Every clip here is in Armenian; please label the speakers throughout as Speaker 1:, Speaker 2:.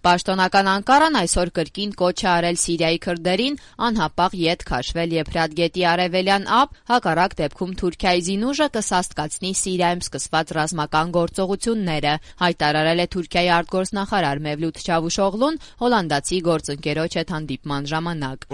Speaker 1: Պաշտոնական Անկարան այսօր կրկին կոչ է արել Սիրիայի քրդերին անհապաղ ետ քաշվել Եփրատ գետի արևելյան ափ, հակառակ դեպքում Թուրքիայի զինուժը կսաստկացնի Սիրիայում սկսված ռազմական գործողությունները, հայտարարել է Թուրքիայի արտգործնախարար Մևլութ Չավուշօղլուն հոլանդացի գործընկերոջ հետ հանդիպման ժամանակ։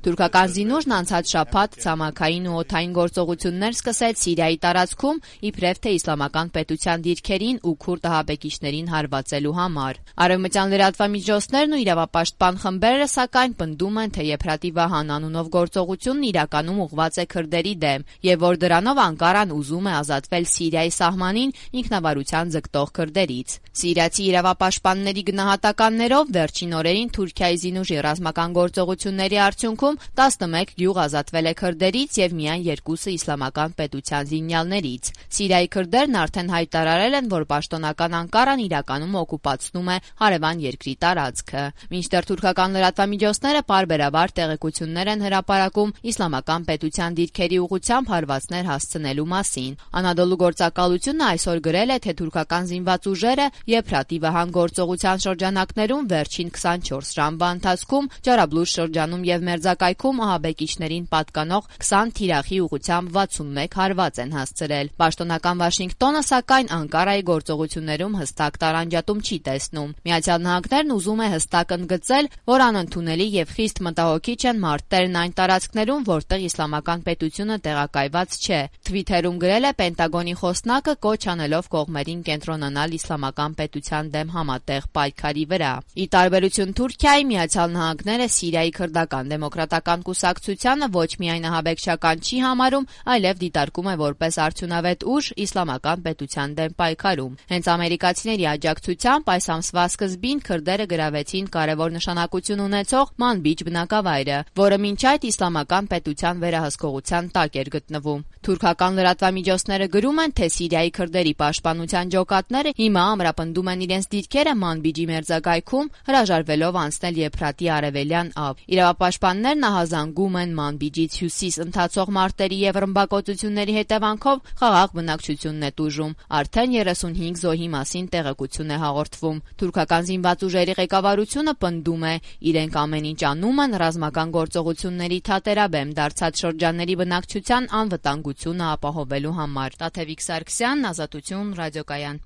Speaker 1: Թուրքական զինուժն անցած շաբաթ ցամաքային ու օդային գործողություններ սկսեց Սիրիայի տարածքում, իբրև թե իսլամական պետության դիրքերին ու քուրդ ահաբեկիչներին հարվածելու համար։ Արևմտյան լրատվամիջոցներն ու իրավապաշտպան խմբերը սակայն պնդում են, թե Եփրատի Վահան անունով գործողությունն իրականում ուղղված է քրդերի դեմ, եւ որ դրանով Անկարան ուզում է ազատվել Սիրիայի սահմանին ինքնավարության ձգտող քրդերից։ Սիրիացի իրավապաշտպանների գնահատականներով վերջին օրերին Թուրքիայի զինուժի ռազմական գործողությունների արդյունքում 11 գյուղ ազատվել է քրդերից եւ միայն 2-ը իսլամական պետության զինյալներից։ Սիրիայի քրդերն արդեն հայտարարել են, որ պաշտոնական Անկարան իրականում օկուպացնում է հարևան երկրի տարածքը։ Մինչդեռ թուրքական լրատվամիջոցները պարբերաբար տեղեկություններ են հրապարակում իսլամական պետության դիրքերի ուղղությամբ հարվածներ հասցնելու մասին։ Անադոլու գործակալությունը այսօր գրել է, թե թուրքական զինված ուժերը Եփրատի Վահան գործողության շրջանակներում վերջին 24 ժամվա ընթացքում Ջարաբլուժ շրջանում եւ Մերձակայքում ահաբեկիչներին պատկանող 20 թիրախի ուղղությամբ 61 հարված են հասցրել։ Պաշտոնական Վաշինգտոնը սակայն Անկարայի գործողություններում հստակ տարանջատում չի տեսնում։ Միացյալ Նահանգներն ուզում է հստակ ընդգծել, որ անընդունելի եւ խիստ մտահոգիչ են մարտերն այն տարածքներում, որտեղ իսլամական պետությունը տեղակայված չէ։ Թվիթերում գրել է Պենտագոնի խոսնակը, կոչ անելով կողմերին կենտրոնանալ իսլամական պետության դեմ համատեղ պայքարի վրա։ Ի տարբերություն Թուրքիայի, Միացյալ Նահանգները Սիրիայի քրդական դեմոկրատական կուսակցությանը ոչ միայն ահաբեկչական չի համարում, այլև դիտարկում է որպես արդյունավետ ուժ իսլամական պետության դեմ պայքարում։ Հենց ամերիկացիների աջակցությամբ այս ամսվա սկզբին քրդերը գրավեցին կարևոր նշանակություն ունեցող Մանբիջ բնակավայրը, որը մինչ այդ իսլամական պետության վերահսկողության տակ էր գտնվում։ Թուրքական լրատվամիջոցները գրում են, թե Սիրիայի քրդերի պաշտպանության ջոկատները հիմա ամրապնդում են իրենց դիրքերը Մանբիջի մերձակայքում, հրաժարվելով անցնել Եփրատի արևելյան ափ։ Իրավապաշտպաններն ահազանգում են Մանբիջից հյուսիս ընթացող մարտերի եւ ռմբակոծությունների հետևանքով խաղաղ բնակչությունն է տուժում։ Արդեն 35 զոհի մասին տեղեկություն է հաղորդվում։ Թուրքական զինված ուժերի ղեկավարությունը պնդում է, իրենք ամեն ինչ անում են ռազմական գործողությունների թատերաբեմ դարձած շրջանների բնակչության անվտանգությունը ապահովելու համար։ Տաթևիկ Սարգսյան, Ազատություն, ռադիոկայան։